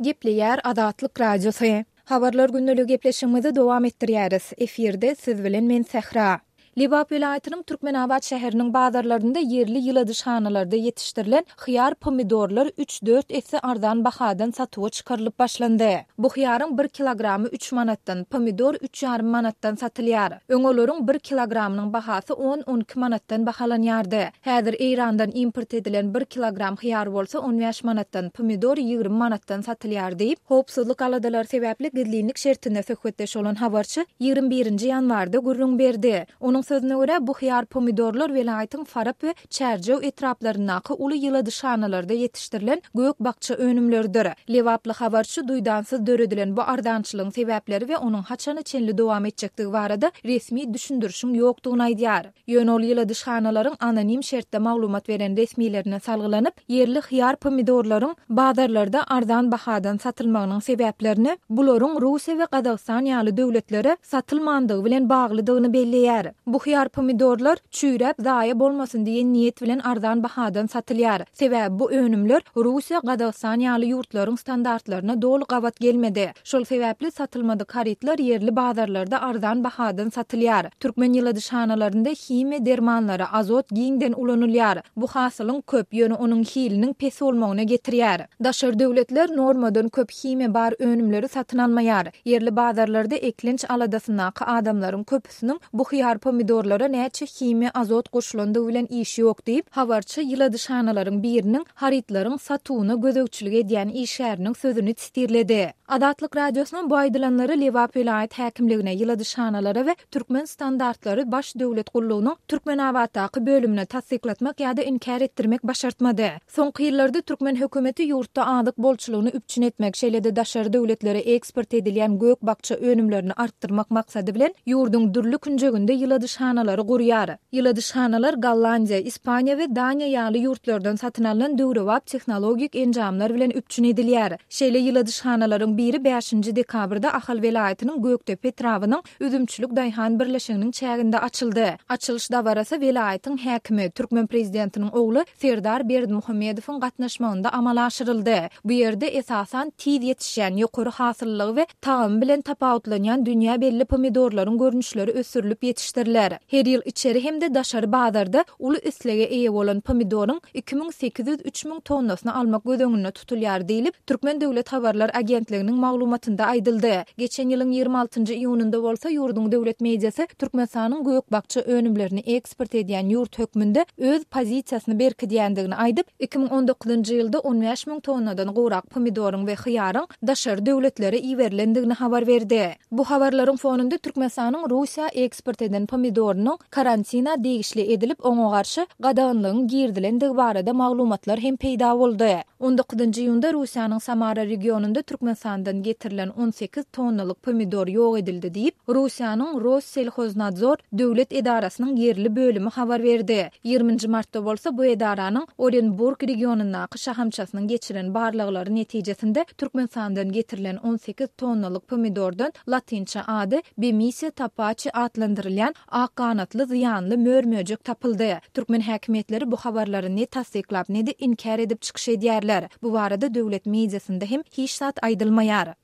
Gepleýär Azatlyk Radiosy. Habarlar gündeligi gepleşigimizi dowam etdirýäris. Efirde siz bilen men Sähra. Lebap welaýatynyň Türkmenabat şäheriniň bazarlarynda ýerli ýyladyşhanalarda ýetişdirilen hyýar-pomidorlar üç-dört esse arzan bahadan satuwa çykarylyp başlandy. Bu hyýaryň bir kilogramy üç manatdan, pomidor üç ýarym manatdan satylýar. Öň olaryň bir kilogramynyň bahasy on-on iki manatdan bahalanýardy. Häzir Eýrandan import edilen bir kilogram hyýar bolsa on bäş manatdan, pomidor 20 manatdan satylýar diýip, howpsuzlyk aladalary sebäpli gizlinlik şertinde söhbetdeş bolan habarçy 21-nji ýanwarda gürrüň berdi. Onuň sözüne görä, bu hyýar-pomidorlar welaýatyň Farap we Çärjew etraplaryndaky uly ýyladyşhanalarda ýetişdirilen gök-bakja önümleridir. Lebaply habarçy duýdansyz döredilen bu arzançylygyň sebäpleri we onuň haçana çenli dowam etjekdigi barada resmi düşündirişiň ýokdugyny aýdýar. Ýöne ol ýyladyşhanalaryň anonim şertde maglumat beren resmilerine salgylanyp, ýerli hyýar-pomidorlaryň bazarlarda arzan bahadan satylmagynyň sebäplerini bularyň Russiýa we Gazagystan ýaly döwletlere satylmandygy bilen baglydygyny belleýär. Bu hyýar-pomidorlar çüýräp zaýa bolmasyn diýen niýet bilen arzan bahadan satylýar. Sebäbi bu önümler Russiýa, Gazagystan ýaly ýurtlaryň standartlaryna doly gabat gelmedi. Şol sebäpli satylmadyk harytlar ýerli bazarlarda arzan bahadan satylýar. Türkmen ýyladyşhanalarynda himiýa dermanlary, azot giňden ulanylýar. Bu hasylyň köp, ýöne onuň hiliniň pes bolmagyna getirýär. Daşary döwletler normadan köp himiýa bar önümleri satyn almaýar. Ýerli bazarlarda eklenç aladasyndaky adamlaryň köpüsiniň bu hyýar-pomidorlara näçe himiýa, azot goşulandygy bilen işi ýok diýip, habarçy ýyladyşhanalaryň biriniň harytlaryň satuwyna gözegçilik edýän işgäriniň sözüni testirledi. Azatlyk Radiosynyň bu aýdylanlary Lebap welaýat häkimligine, ýyladyşhanalara we Türkmen standartlary baş döwlet gullugynyň Türkmenabatdaky bölümine tassyklatmak ýa-da inkär etdirmek başartmady. Soňky ýyllarda türkmen hökümeti ýurtda azyk bolçulygyny üpjün etmek, şeýle-de daşary döwletlere eksport edilýän gök-bakja önümlerini artdyrmak maksady bilen, ýurduň dürli künjeginde ýyladyşhanalary gurýar. Ýyladyşhanalar Gollandiýa, Ispaniýa we Daniýa ýaly ýurtlardan satyn alnan döwrebap tehnologik enjamlar bilen üpjün edilýär. Şeýle ýyladyşhanalaryň biri bäşinji dekabrda Ahal welaýatynyň Gökdepe etrabynyň Üzümçilik daýhan birleşiginiň çäginde açyldy. Açylyş dabarasy welaýatyň häkimi, türkmen prezidentiniň ogly Serdar Berdimuhamedowyň gatnaşmagynda amala aşyryldy. Bu ýerde, esasan, tiz ýetişýän, ýokary hasyllylygy we tagamy bilen tapawutlanýan dünýä belli pomidorlaryň görnüşleri ösdürilip ýetişdiriler. Her ýyl içeri hem-de daşary bazarda uly islege eýe bolan pomidoryň 2803 müň tonnasyny almak göz öňünde tutulýar diýlip, Türkmen döwlet habarlar agentliginiň maglumatynda aýdyldy. Geçen ýylyň 26 nji iýunynda bolsa ýurduň döwlet mediasy Türkmenistanyň gök-bakja önümlerini eksport edýän ýurt hökmünde öz pozisiýasyny berkidýändigini aýdyp, 2019-njy ýylda 15 müň tonnadan gowrak pomidoryň we hyýaryň daşary döwletlere iberilendigini habar berdi. Bu habarlaryň fonunda Türkmenistanyň Russiýa eksport eden pomidorynyň karantina degişli edilip, oňa garşy gadaganlygyň girizilendigi barada maglumatlar hem peýda boldy. On dokuzynjy iýunda Russiýanyň Samara regionynda Türkmenistandan getirilen 18 tonnalyk pomidor ýok edildi diýip, Russiýanyň Rosselhoznadzor döwlet edarasynyň ýerli bölümi habar berdi. Ýigriminji martda bolsa bu edaranyň Orenburg regionyndaky şahamçasynyň geçiren barlaglary netijesinde Türkmenistandan getirilen 18 tonnalyk pomidordan latynça ady Bemisia tapaçi atlandyrylýan ak ganatly zyýanly mör-möjek tapyldy. Türkmen häkimiýetleri bu habarlary ne tassyklap, ne-de inkär edip çykyş edýärler. Bu barada döwlet mediasynda hem hiç zat aýdylmaýar.